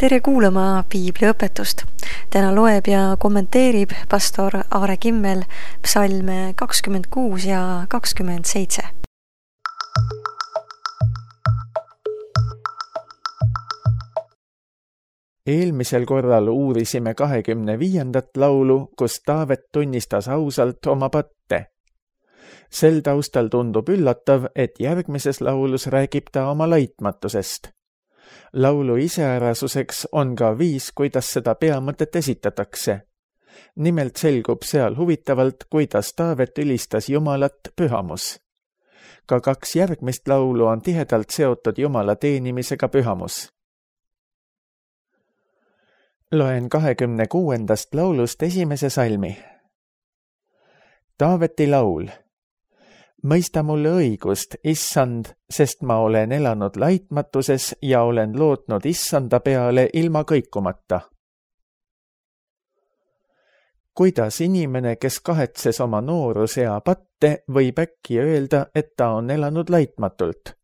Tere kuulama piibliõpetust. Täna loeb ja kommenteerib pastor Aare Kimmel psalme 26 ja 27. Eelmisel korral uurisime 25. laulu, kus Taavet tunnistas ausalt oma patte. Sel taustal tundub üllatav, et järgmises laulus räägib ta oma laitmatusest. Laulu iseärasuseks on ka viis, kuidas seda peamõtet esitatakse. Nimelt selgub seal huvitavalt, kuidas Taavet ülistas Jumalat pühamus. Ka 2 järgmist laulu on tihedalt seotud Jumala teenimisega pühamus. Loen 26. laulust esimese salmi. Taaveti laul. Mõista mulle õigust, Issand, sest ma olen elanud laitmatuses ja olen lootnud Issanda peale ilma kõikumata. Kuidas inimene, kes kahetses oma noorusea patte, võib äkki öelda, et ta on elanud laitmatult?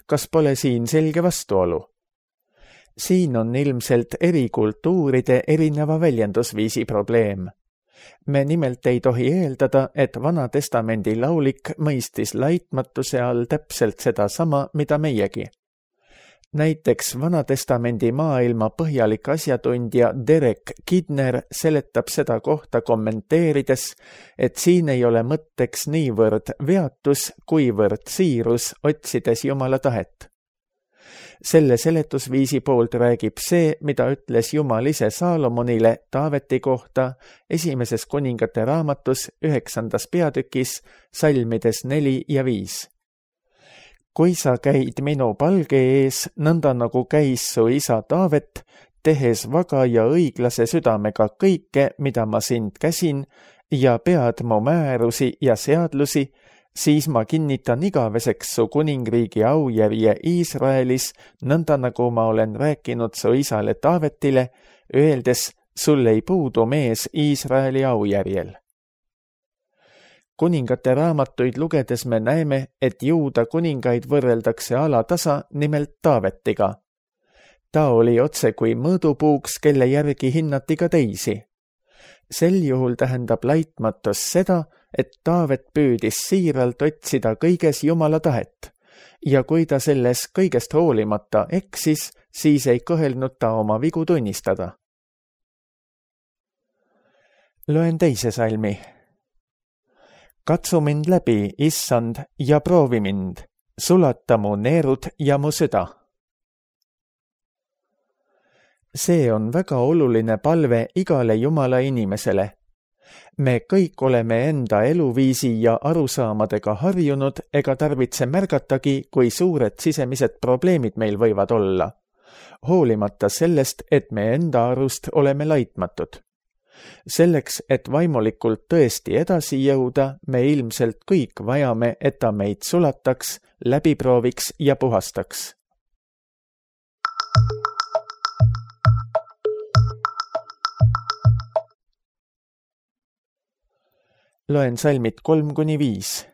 Kas pole siin selge vastuolu? Siin on ilmselt eri kultuuride erineva väljendusviisi probleem. Me nimelt ei tohi eeldada, et Vana Testamendi laulik mõistis laitmatuse all täpselt seda sama, mida meiegi. Näiteks Vana Testamendi maailma põhjalik asjatundja Derek Kidner seletab seda kohta kommenteerides, et siin ei ole mõtteks niivõrd veatus, kuivõrd siirus otsides Jumala tahet. Selle seletusviisi poolt räägib see, mida ütles Jumal ise Saalomonile Taaveti kohta 1. Kuningate raamatus 9. peatükis salmides 4 ja 5. Kui sa käid minu palge ees, nõnda nagu käis su isa Taavet, tehes vaga ja õiglase südamega kõike, mida ma sind käsin, ja pead mu määrusi ja seadlusi, siis ma kinnitan igaveseks su kuningriigi aujärje Iisraelis, nõnda nagu ma olen rääkinud su isale Taavetile, öeldes, sul ei puudu mees Iisraeli aujärjel. Kuningate raamatuid lugedes me näeme, et Juuda kuningaid võrreldakse alatasa nimelt Taavetiga. Ta oli otse kui mõõdupuuks, kelle järgi hinnati ka teisi. Sel juhul tähendab laitmatus seda, et Taavet püüdis siiralt otsida kõiges Jumala tahet, ja kui ta selles kõigest hoolimata eksis, siis ei kõhelnud ta oma vigu tunnistada. Loen teise salmi. Katsu mind läbi, Issand, ja proovi mind, sulata mu neerud ja mu süda. See on väga oluline palve igale Jumala inimesele. Me kõik oleme enda eluviisi ja arusaamadega harjunud ega tarvitse märgatagi, kui suured sisemised probleemid meil võivad olla, hoolimata sellest, et me enda arust oleme laitmatud. Selleks, et vaimulikult tõesti edasi jõuda, me ilmselt kõik vajame, et ta meid sulataks, läbiprooviks ja puhastaks. Loen salmid 3-5.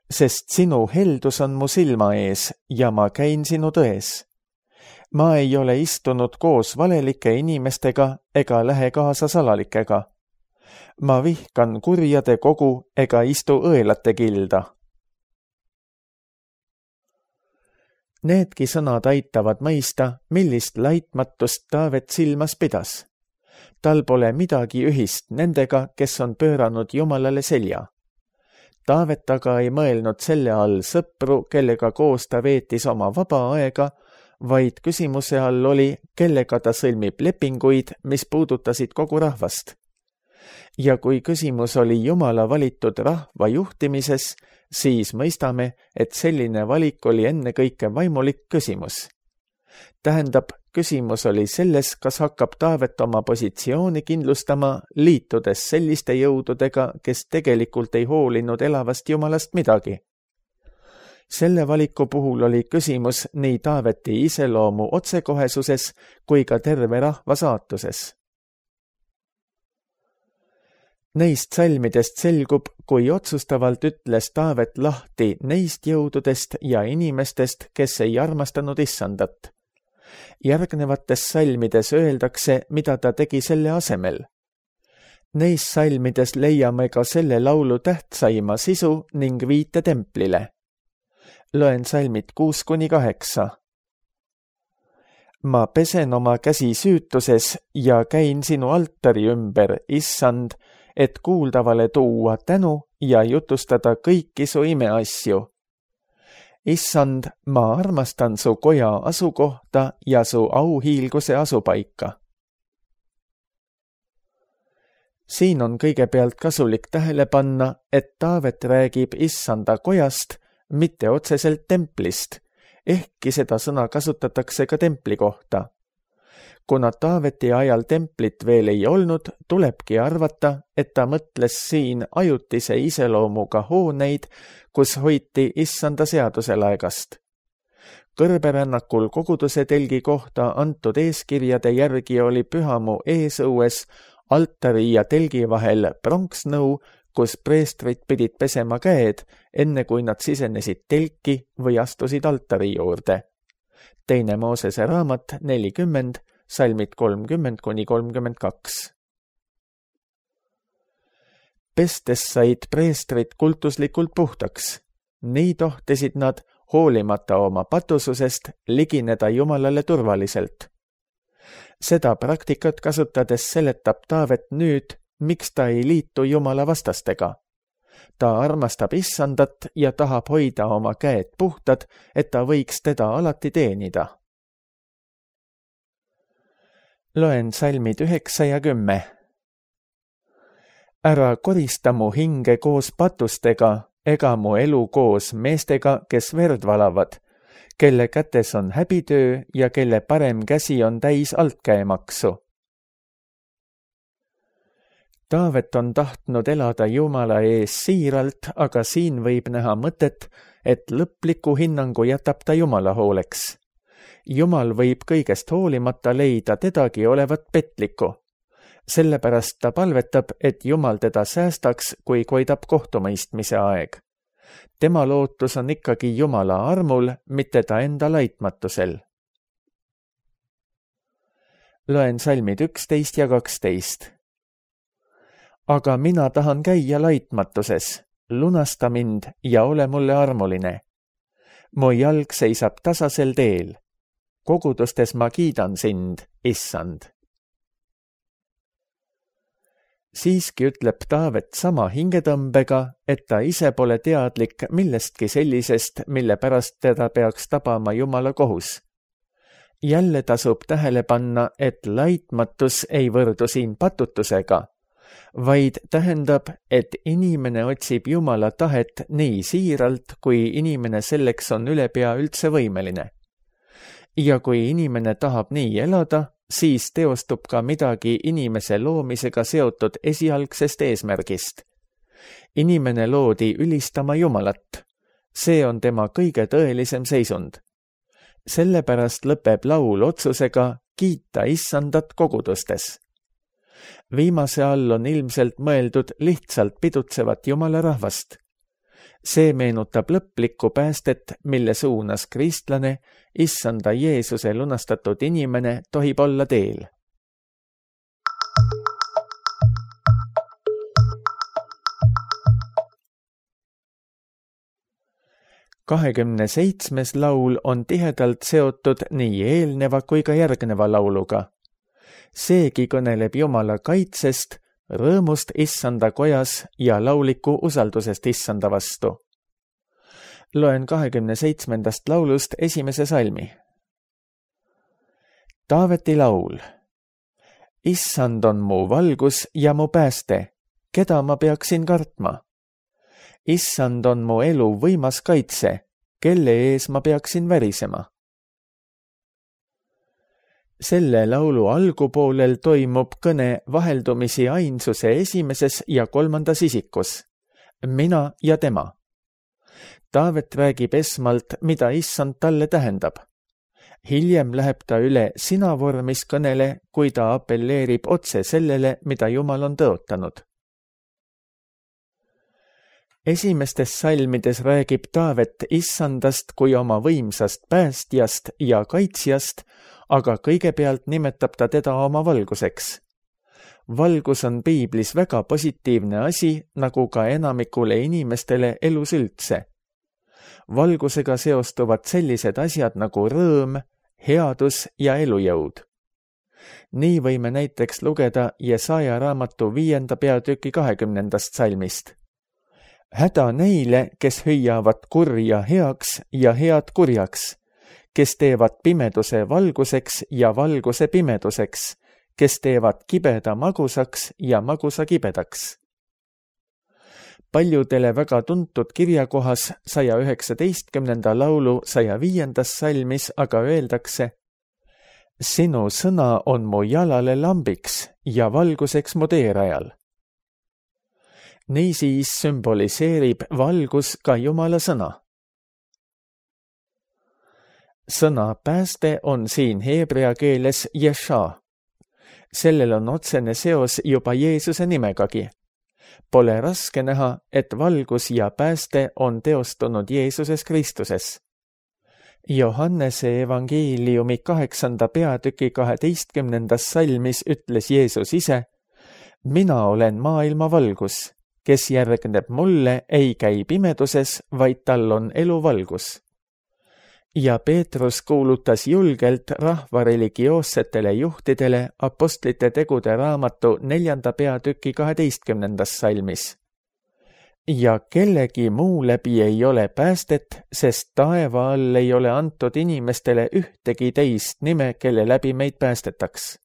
Sest sinu heldus on mu silma ees ja ma käin sinu tões. Ma ei ole istunud koos valelike inimestega ega lähe kaasa salalikega. Ma vihkan kurjade kogu ega istu õelate kilda. Needki sõnad aitavad mõista, millist laitmatust Taavet silmas pidas. Tal pole midagi ühist nendega, kes on pööranud Jumalale selja. Taavet aga ei mõelnud selle all sõpru, kellega koos ta veetis oma vaba aega, vaid küsimuse all oli, kellega ta sõlmib lepinguid, mis puudutasid kogu rahvast. Ja kui küsimus oli Jumala valitud rahva juhtimises, siis mõistame, et selline valik oli ennekõike vaimulik küsimus. Tähendab, küsimus oli selles, kas hakkab Taavet oma positsiooni kindlustama, liitudes selliste jõududega, kes tegelikult ei hoolinud elavast Jumalast midagi. Selle valiku puhul oli küsimus nii Taaveti iseloomu otsekohesuses kui ka terve rahva saatuses. Neist salmidest selgub, kui otsustavalt ütles Taavet lahti neist jõududest ja inimestest, kes ei armastanud Issandat. Järgnevates salmides öeldakse, mida ta tegi selle asemel. Neis salmides leiame ka selle laulu tähtsaima sisu ning viite templile. Loen salmid 6-8. Ma pesen oma käsi süütuses ja käin sinu altari ümber, issand, et kuuldavale tuua tänu ja jutustada kõiki su imeasju. Issand, ma armastan su koja asukohta ja su auhiilguse asupaika. Siin on kõigepealt kasulik tähele panna, et Taavet räägib issanda kojast, mitte otseselt templist, ehkki seda sõna kasutatakse ka templi kohta. Kuna Taaveti ajal templit veel ei olnud, tulebki arvata, et ta mõtles siin ajutise iseloomuga hooneid, kus hoiti issanda seaduselaegast. Kõrberännakul koguduse telgi kohta antud eeskirjade järgi oli pühamu eesõues altari ja telgi vahel pronksnõu, kus preestrid pidid pesema käed, enne kui nad sisenesid telki või astusid altari juurde. 2. Moosese raamat 40, salmid 30-32. Pestes said preestrid kultuslikult puhtaks. Nii tohtisid nad, hoolimata oma patususest, ligineda Jumalale turvaliselt. Seda praktikat kasutades seletab Taavet nüüd, miks ta ei liitu Jumala vastastega. Ta armastab issandat ja tahab hoida oma käed puhtad, et ta võiks teda alati teenida. Loen salmid 9 ja 10. Ära korista mu hinge koos patustega, ega mu elu koos meestega, kes verd valavad, kelle kätes on häbitöö ja kelle parem käsi on täis altkäemaksu. Taavet on tahtnud elada Jumala ees siiralt, aga siin võib näha mõtet, et lõpliku hinnangu jätab ta Jumala hooleks. Jumal võib kõigest hoolimata leida tedagi olevat petlikku. Sellepärast ta palvetab, et Jumal teda säästaks, kui koidab kohtumõistmise aeg. Tema lootus on ikkagi Jumala armul, mitte ta enda laitmatusel. Loen salmid 11 ja 12. Aga mina tahan käia laitmatuses, lunasta mind ja ole mulle armuline. Mu jalg seisab tasasel teel. Kogudustes ma kiidan sind, issand. Siiski ütleb Taavet sama hingetõmbega, et ta ise pole teadlik millestki sellisest, mille pärast teda peaks tabama Jumala kohus. Jälle tasub tähele panna, et laitmatus ei võrdu siin patutusega, vaid tähendab, et inimene otsib Jumala tahet nii siiralt, kui inimene selleks on ülepea üldse võimeline. Ja kui inimene tahab nii elada, siis teostub ka midagi inimese loomisega seotud esialgsest eesmärgist. Inimene loodi ülistama Jumalat. See on tema kõige tõelisem seisund. Sellepärast lõpeb laul otsusega kiita issandat kogudustes. Viimase all on ilmselt mõeldud lihtsalt pidutsevat Jumala rahvast. See meenutab lõplikku päästet, mille suunas kristlane, issanda Jeesuse lunastatud inimene tohib olla teel. Kahekümne 7. laul on tihedalt seotud nii eelneva kui ka järgneva lauluga. Seegi kõneleb Jumala kaitsest, rõõmust issanda kojas ja lauliku usaldusest issanda vastu. Loen 27. laulust 1. salmi. Taaveti laul. Issand on mu valgus ja mu pääste, keda ma peaksin kartma? Issand on mu elu võimas kaitse, kelle ees ma peaksin värisema? Selle laulu algupoolel toimub kõne vaheldumisi ainsuse 1. ja 3. isikus. Mina ja tema. Taavet räägib esmalt, mida issand talle tähendab. Hiljem läheb ta üle sina vormis kõnele, kui ta appelleerib otse sellele, mida Jumal on tõotanud. Esimestes salmides räägib Taavet issandast kui oma võimsast päästjast ja kaitsjast, aga kõigepealt nimetab ta teda oma valguseks. Valgus on piiblis väga positiivne asi, nagu ka enamikule inimestele elus üldse. Valgusega seostuvad sellised asjad nagu rõõm, headus ja elujõud. Nii võime näiteks lugeda Jesaja raamatu 5. peatüki 20. salmist. Häda neile, kes hüüavad kurja heaks ja head kurjaks, kes teevad pimeduse valguseks ja valguse pimeduseks, kes teevad kibeda magusaks ja magusa kibedaks. Paljudele väga tuntud kirjakohas 119. laulu 105. salmis aga öeldakse: Sinu sõna on mu jalale lambiks ja valguseks mu teerajal. Niisiis sümboliseerib valgus ka Jumala sõna. Sõna pääste on siin heebrea keeles Jesha. Sellel on otsene seos juba Jeesuse nimegagi. Pole raske näha, et valgus ja pääste on teostunud Jeesuses Kristuses. Johannese evangeeliumi 8. peatüki 12. salmis ütles Jeesus ise: Mina olen maailma valgus, kes järgneb mulle, ei käi pimeduses, vaid tal on eluvalgus. Ja Peetrus kuulutas julgelt rahva religioossetele juhtidele apostlite tegude raamatu 4. peatüki 12. salmis. Ja kellegi muu läbi ei ole päästet, sest taeva all ei ole antud inimestele ühtegi teist nime, kelle läbi meid päästetaks.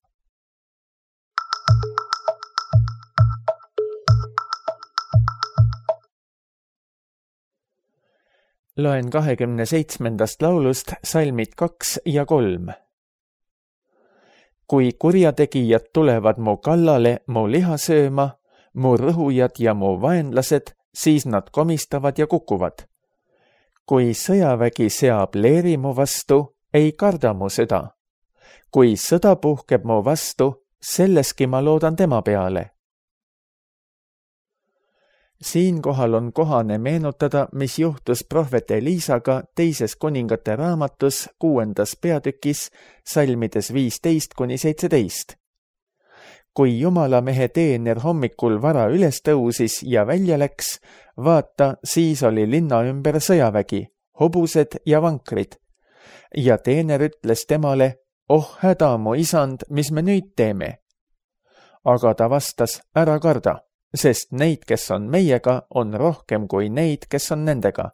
Loen 27. laulust salmid 2 ja 3. Kui kurjategijad tulevad mu kallale mu liha sööma, mu rõhujad ja mu vaenlased, siis nad komistavad ja kukuvad. Kui sõjavägi seab leeri mu vastu, ei karda mu süda. Kui sõda puhkeb mu vastu, selleski ma loodan tema peale. Siinkohal on kohane meenutada, mis juhtus prohvet Eliisaga 2. kuningate raamatus 6. peatükis salmides 15-17. Kui Jumalamehe teener hommikul vara üles tõusis ja välja läks, vaata, siis oli linna ümber sõjavägi, hobused ja vankrid. Ja teener ütles temale: Oh häda, mu isand, mis me nüüd teeme? Aga ta vastas: Ära karda, sest neid, kes on meiega, on rohkem kui neid, kes on nendega.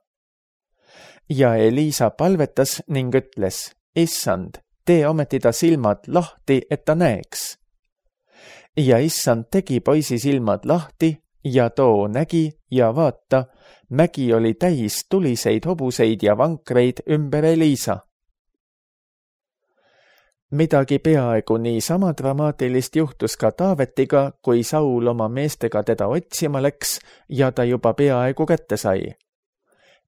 Ja Eliisa palvetas ning ütles: Issand, tee ometi ta silmad lahti, et ta näeks. Ja issand tegi poisi silmad lahti ja too nägi ja vaata, mägi oli täis tuliseid hobuseid ja vankreid ümber Eliisa. Midagi peaaegu nii sama dramaatilist juhtus ka Taavetiga, kui Saul oma meestega teda otsima läks ja ta juba peaaegu kätte sai.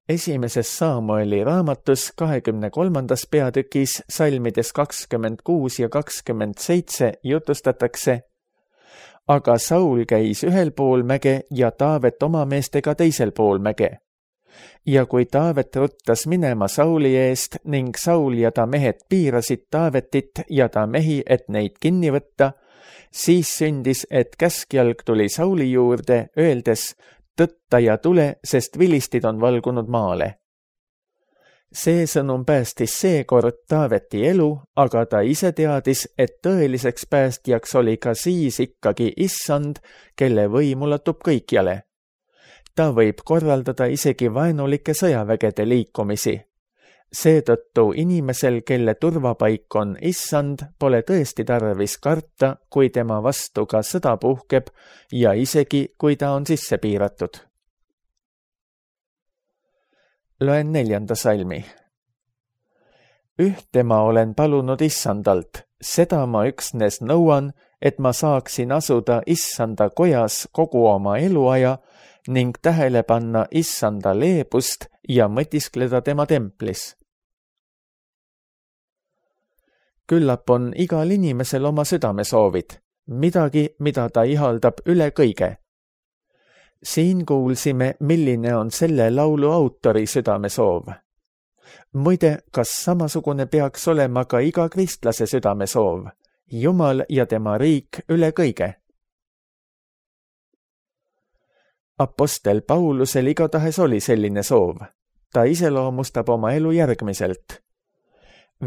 Esimeses Saamueli raamatus 23. peatükis salmides 26 ja 27 jutustatakse: Aga Saul käis ühel pool mäge ja Taavet oma meestega teisel pool mäge. Ja kui Taavet ruttas minema Sauli eest ning Saul ja ta mehed piirasid Taavetit ja ta mehi, et neid kinni võtta, siis sündis, et käskjalg tuli Sauli juurde, öeldes: Tõtta ja tule, sest vilistid on valgunud maale. See sõnum päästis seekord Taaveti elu, aga ta ise teadis, et tõeliseks päästjaks oli ka siis ikkagi issand, kelle võim ulatub kõikjale. Ta võib korraldada isegi vaenulike sõjavägede liikumisi. Seetõttu inimesel, kelle turvapaik on issand, pole tõesti tarvis karta, kui tema vastu ka sõda puhkeb ja isegi, kui ta on sisse piiratud. Loen 4. salmi. Ühte ma olen palunud issandalt, seda ma üksnes nõuan, et ma saaksin asuda issanda kojas kogu oma eluaja ning tähele panna issanda leebust ja mõtiskleda tema templis. Küllap on igal inimesel oma südamesoovid, midagi, mida ta ihaldab üle kõige. Siin kuulsime, milline on selle laulu autori südamesoov. Muide, kas samasugune peaks olema ka iga kristlase südamesoov? Jumal ja tema riik üle kõige. Apostel Paulusel igatahes oli selline soov. Ta iseloomustab oma elu järgmiselt.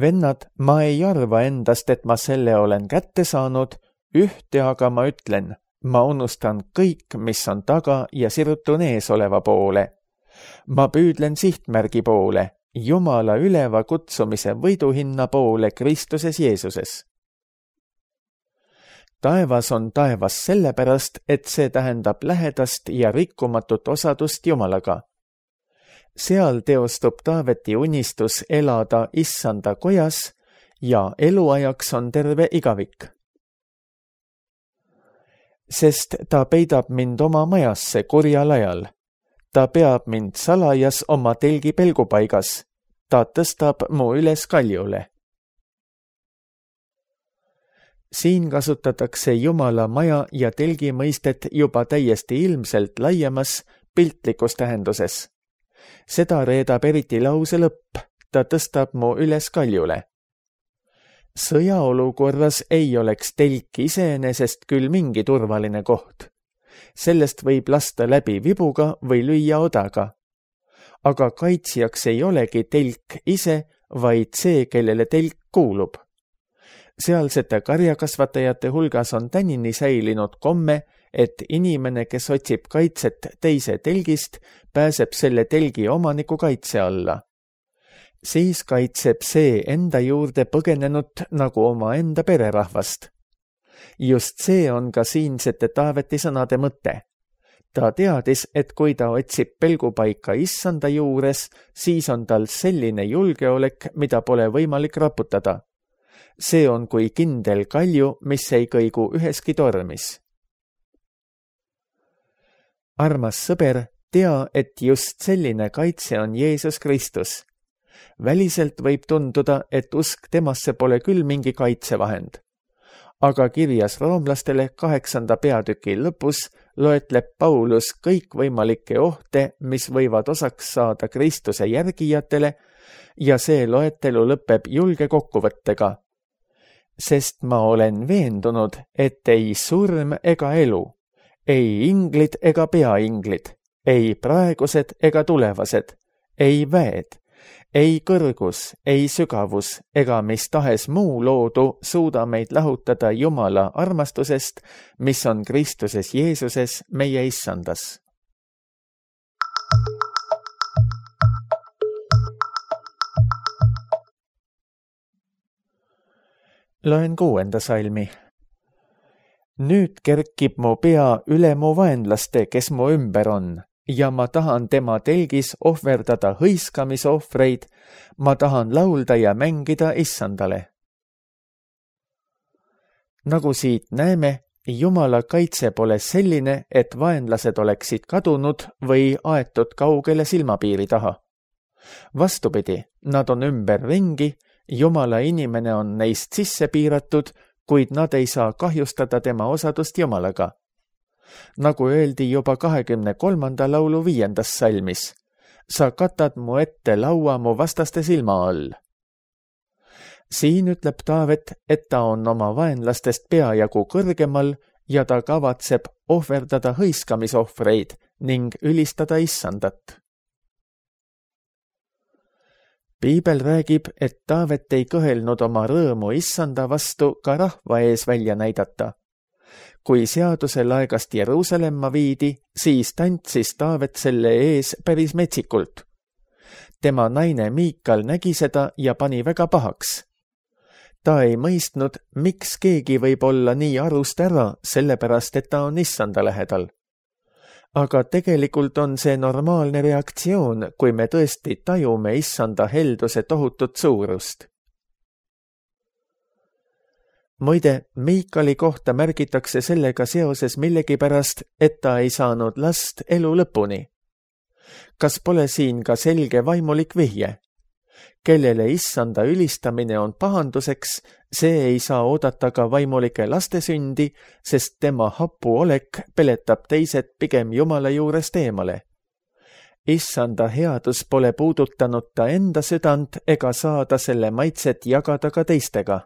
Vennad, ma ei arva endast, et ma selle olen kätte saanud, ühte aga ma ütlen, ma unustan kõik, mis on taga ja sirutun ees oleva poole. Ma püüdlen sihtmärgi poole, Jumala üleva kutsumise võiduhinna poole Kristuses Jeesuses. Taevas on taevas sellepärast, et see tähendab lähedast ja rikkumatut osadust Jumalaga. Seal teostub Taaveti unistus elada Issanda kojas ja eluajaks on terve igavik. Sest ta peidab mind oma majasse kurjal ajal. Ta peab mind salajas oma telgi pelgupaigas. Ta tõstab mu üles kaljule. Siin kasutatakse Jumala maja ja telgi mõistet juba täiesti ilmselt laiemas piltlikus tähenduses. Seda reedab eriti lause lõpp, ta tõstab mu üles kaljule. Sõjaolukorras ei oleks telk iseenesest küll mingi turvaline koht. Sellest võib lasta läbi vibuga või lüüa odaga. Aga kaitsjaks ei olegi telk ise, vaid see, kellele telk kuulub. Sealsete karjakasvatajate hulgas on tänini säilinud komme, et inimene, kes otsib kaitset teise telgist, pääseb selle telgi omaniku kaitse alla. Siis kaitseb see enda juurde põgenenut nagu oma enda pererahvast. Just see on ka siinsete Taaveti sõnade mõte. Ta teadis, et kui ta otsib pelgupaika Issanda juures, siis on tal selline julgeolek, mida pole võimalik raputada. See on kui kindel kalju, mis ei kõigu üheski tormis. Armas sõber, tea, et just selline kaitse on Jeesus Kristus. Väliselt võib tunduda, et usk temasse pole küll mingi kaitsevahend. Aga kirjas roomlastele 8. peatüki lõpus loetleb Paulus kõikvõimalikke ohte, mis võivad osaks saada Kristuse järgijatele ja see loetelu lõpeb julge kokkuvõttega. Sest ma olen veendunud, et ei surm ega elu, ei inglid ega peainglid, ei praegused ega tulevased, ei väed, ei kõrgus, ei sügavus ega mis tahes muu loodu suuda meid lahutada Jumala armastusest, mis on Kristuses Jeesuses meie Issandas. Loen 6. salmi. Nüüd kerkib mu pea üle mu vaenlaste, kes mu ümber on, ja ma tahan tema telgis ohverdada hõiskamisohvreid, ma tahan laulda ja mängida Issandale. Nagu siit näeme, Jumala kaitse pole selline, et vaenlased oleksid kadunud või aetud kaugele silmapiiri taha. Vastupidi, nad on ümberringi, Jumala inimene on neist sisse piiratud, kuid nad ei saa kahjustada tema osadust Jumalaga. Nagu öeldi juba 23. laulu 5. salmis, sa katad mu ette laua mu vastaste silma all. Siin ütleb Taavet, et ta on oma vaenlastest peajagu kõrgemal ja ta kavatseb ohverdada hõiskamisohvreid ning ülistada Issandat. Piibel räägib, et Taavet ei kõhelnud oma rõõmu Issanda vastu ka rahva ees välja näidata. Kui seaduse laegast Jeruusalemma viidi, siis tantsis Taavet selle ees päris metsikult. Tema naine Miikal nägi seda ja pani väga pahaks. Ta ei mõistnud, miks keegi võib olla nii arust ära, sellepärast et ta on Issanda lähedal. Aga tegelikult on see normaalne reaktsioon, kui me tõesti tajume Issanda helduse tohutut suurust. Muide, Miikali kohta märgitakse sellega seoses millegipärast, et ta ei saanud last elu lõpuni. Kas pole siin ka selge vaimulik vihje? Kellele issanda ülistamine on pahanduseks, see ei saa oodata ka vaimulike laste sündi, sest tema hapu olek peletab teised pigem Jumala juurest eemale. Issanda headus pole puudutanud ta enda südant ega saada selle maitset jagada ka teistega.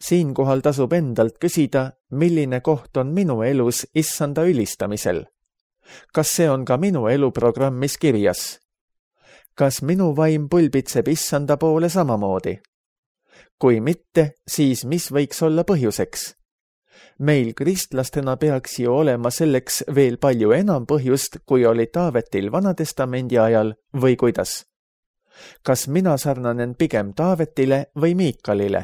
Siinkohal tasub endalt küsida, milline koht on minu elus issanda ülistamisel. Kas see on ka minu eluprogrammis kirjas? Kas minu vaim pulbitseb issanda poole samamoodi? Kui mitte, siis mis võiks olla põhjuseks? Meil kristlastena peaks ju olema selleks veel palju enam põhjust, kui oli Taavetil Vanatestamendi ajal või kuidas? Kas mina sarnanen pigem Taavetile või Miikalile?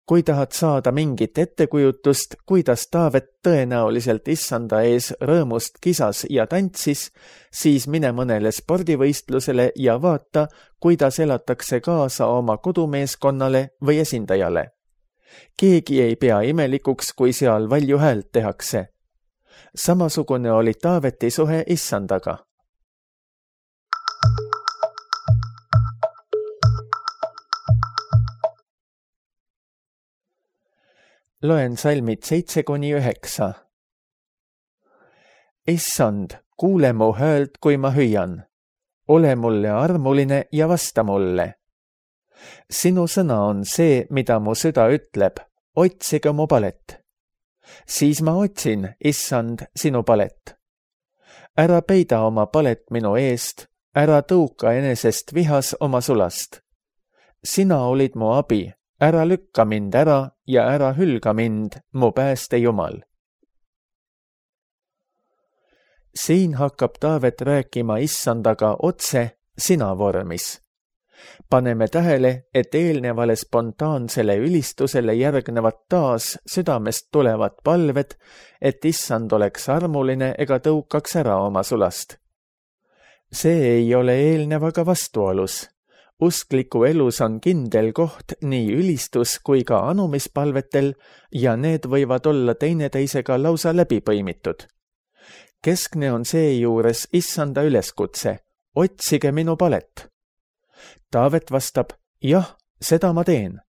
Kui tahad saada mingit ettekujutust, kuidas Taavet tõenäoliselt issanda ees rõõmust kisas ja tantsis, siis mine mõnele spordivõistlusele ja vaata, kuidas elatakse kaasa oma kodumeeskonnale või esindajale. Keegi ei pea imelikuks, kui seal valju häält tehakse. Samasugune oli Taaveti suhe issandaga. Loen salmid 7-9. Issand, kuule mu häält, kui ma hüüan. Ole mulle armuline ja vasta mulle. Sinu sõna on see, mida mu süda ütleb. Otsige mu palet. Siis ma otsin, issand, sinu palet. Ära peida oma palet minu eest, ära tõuka enesest vihas oma sulast. Sina olid mu abi. Ära lükka mind ära ja ära hülga mind, mu pääste Jumal. Siin hakkab Taavet rääkima issandaga otse sina vormis. Paneme tähele, et eelnevale spontaansele ülistusele järgnevad taas südamest tulevad palved, et issand oleks armuline ega tõukaks ära oma sulast. See ei ole eelnevaga vastuolus. Uskliku elus on kindel koht nii ülistus kui ka anumispalvetel ja need võivad olla teineteisega lausa läbi põimitud. Keskne on seejuures issanda üleskutse, otsige minu palet. Taavet vastab, jah, seda ma teen.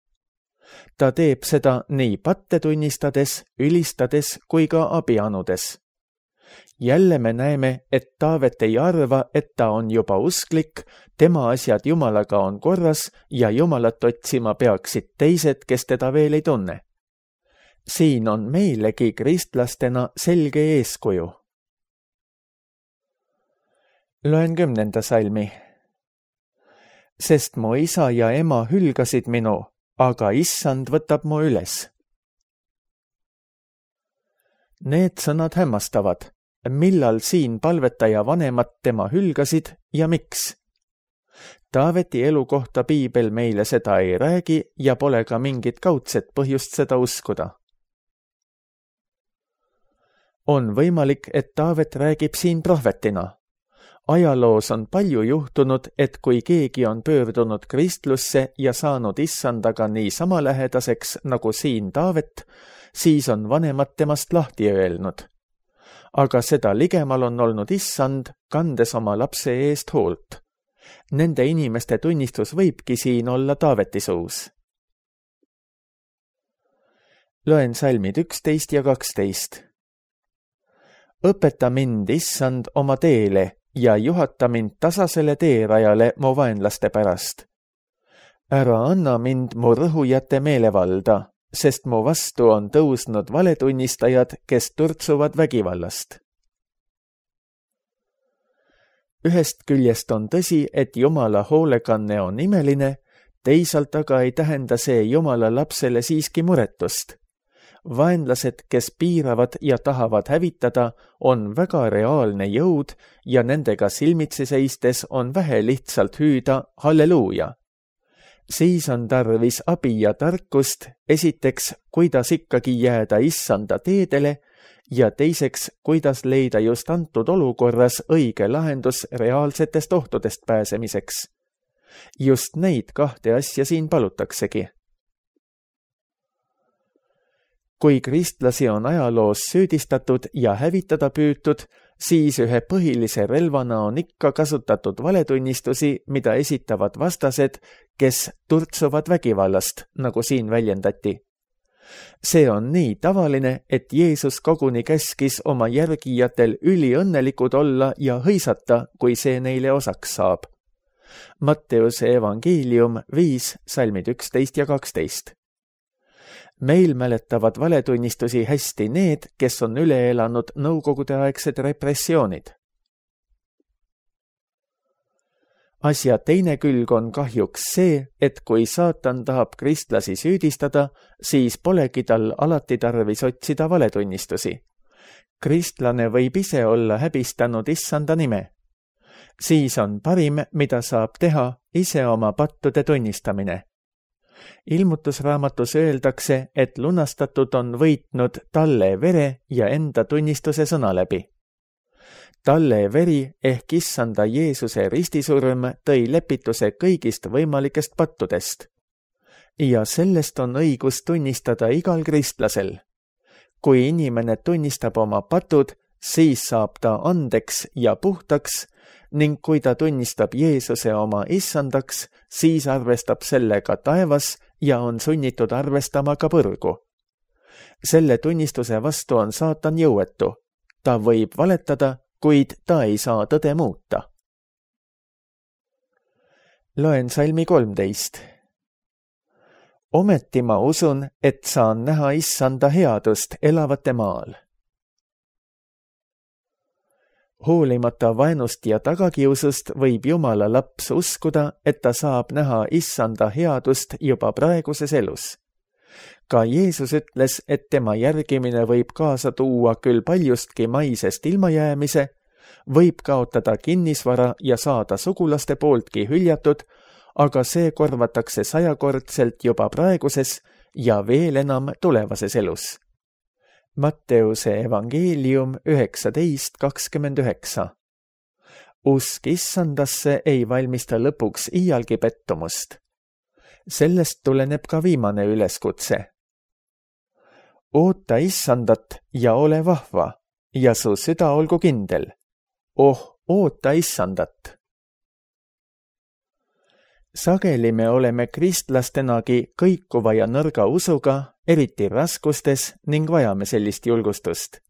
Ta teeb seda nii patte tunnistades, ülistades kui ka abi anudes. Jälle me näeme, et Taavet ei arva, et ta on juba usklik, tema asjad Jumalaga on korras ja Jumalat otsima peaksid teised, kes teda veel ei tunne. Siin on meilegi kristlastena selge eeskuju. Loen 10. salmi. Sest mu isa ja ema hülgasid minu, aga issand võtab mu üles. Need sõnad hämmastavad. Millal siin palvetaja vanemad tema hülgasid ja miks? Taaveti elu kohta piibel meile seda ei räägi ja pole ka mingit kaudset põhjust seda uskuda. On võimalik, et Taavet räägib siin prohvetina. Ajaloos on palju juhtunud, et kui keegi on pöördunud kristlusse ja saanud issandaga nii sama lähedaseks nagu siin Taavet, siis on vanemad temast lahti öelnud. Aga seda ligemal on olnud issand, kandes oma lapse eest hoolt. Nende inimeste tunnistus võibki siin olla Taaveti suus. Loen salmid 11 ja 12. Õpeta mind, issand, oma teele ja juhata mind tasasele teerajale mu vaenlaste pärast. Ära anna mind mu rõhujate meelevalda, sest mu vastu on tõusnud valetunnistajad, kes turtsuvad vägivallast. Ühest küljest on tõsi, et Jumala hoolekanne on imeline, teisalt aga ei tähenda see Jumala lapsele siiski muretust. Vaenlased, kes piiravad ja tahavad hävitada, on väga reaalne jõud ja nendega silmitsi seistes on vähe lihtsalt hüüda halleluuja. Siis on tarvis abi ja tarkust, esiteks, kuidas ikkagi jääda issanda teedele ja teiseks, kuidas leida just antud olukorras õige lahendus reaalsetest ohtudest pääsemiseks. Just neid kahte asja siin palutaksegi. Kui kristlasi on ajaloos süüdistatud ja hävitada püütud, siis ühe põhilise relvana on ikka kasutatud valetunnistusi, mida esitavad vastased, kes turtsuvad vägivallast, nagu siin väljendati. See on nii tavaline, et Jeesus koguni käskis oma järgijatel üliõnnelikud olla ja hõisata, kui see neile osaks saab. Matteuse evangeelium 5, salmid 11 ja 12. Meil mäletavad valetunnistusi hästi need, kes on üle elanud nõukogudeaegsed repressioonid. Asja teine külg on kahjuks see, et kui saatan tahab kristlasi süüdistada, siis polegi tal alati tarvis otsida valetunnistusi. Kristlane võib ise olla häbistanud issanda nime. Siis on parim, mida saab teha, ise oma pattude tunnistamine. Ilmutusraamatus öeldakse, et lunastatud on võitnud talle vere ja enda tunnistuse sõna läbi. Talle veri ehk issanda Jeesuse ristisurm tõi lepituse kõigist võimalikest pattudest. Ja sellest on õigus tunnistada igal kristlasel. Kui inimene tunnistab oma patud, siis saab ta andeks ja puhtaks, ning kui ta tunnistab Jeesuse oma issandaks, siis arvestab sellega taevas ja on sunnitud arvestama ka põrgu. Selle tunnistuse vastu on saatan jõuetu. Ta võib valetada, kuid ta ei saa tõde muuta. Loen salmi 13. Ometi ma usun, et saan näha issanda headust elavate maal. Hoolimata vaenust ja tagakiusust võib Jumala laps uskuda, et ta saab näha issanda headust juba praeguses elus. Ka Jeesus ütles, et tema järgimine võib kaasa tuua küll paljustki maisest ilmajäämise, võib kaotada kinnisvara ja saada sugulaste pooltki hüljatud, aga see korvatakse 100-kordselt juba praeguses ja veel enam tulevases elus. Matteuse evangeelium 19:29. Usk issandasse ei valmista lõpuks iialgi pettumust. Sellest tuleneb ka viimane üleskutse. Oota issandat ja ole vahva ja su süda olgu kindel. Oota issandat. Sageli me oleme kristlastenagi kõikuva ja nõrga usuga, eriti raskustes, ning vajame sellist julgustust.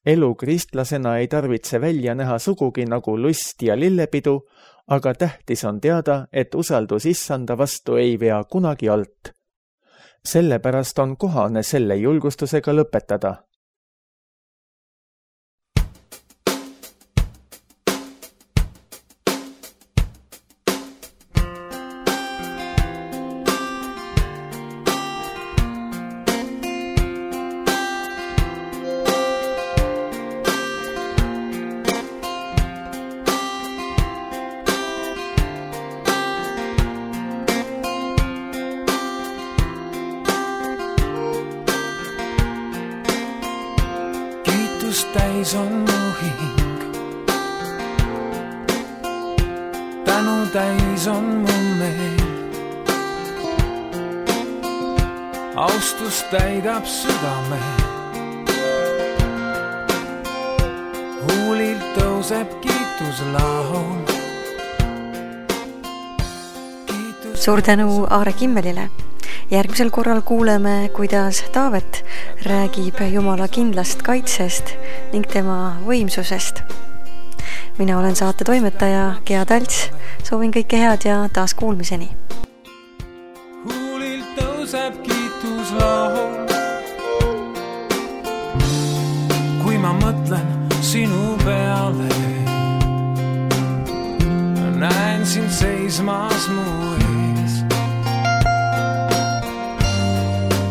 Elu kristlasena ei tarvitse välja näha sugugi nagu lust ja lillepidu, aga tähtis on teada, et usaldus issanda vastu ei vea kunagi alt. Sellepärast on kohane selle julgustusega lõpetada. Täis on mu hing, tänu täis on mu meel, austus täidab südame, huulilt tõuseb kiituslaul. Suur tänu Aare Kimmelile. Järgmisel korral kuuleme, kuidas Taavet räägib Jumala kindlast kaitsest ning tema võimsusest. Mina olen saate toimetaja Gea Talts. Soovin kõike head ja taas kuulmiseni. Huulilt tõuseb kiituslaul. Kui ma mõtlen sinu peale, näen sind seismas mu ees.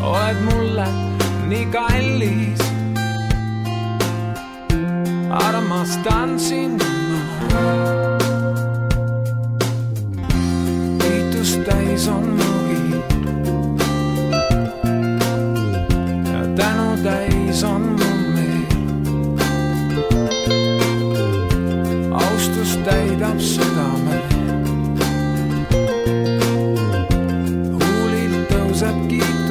Oled mulle nii kallis, armastan sind ma. Kiitus täis on mu hind ja tänu täis on mu meel. Austus täidab südame, huulilt tõuseb kiitus.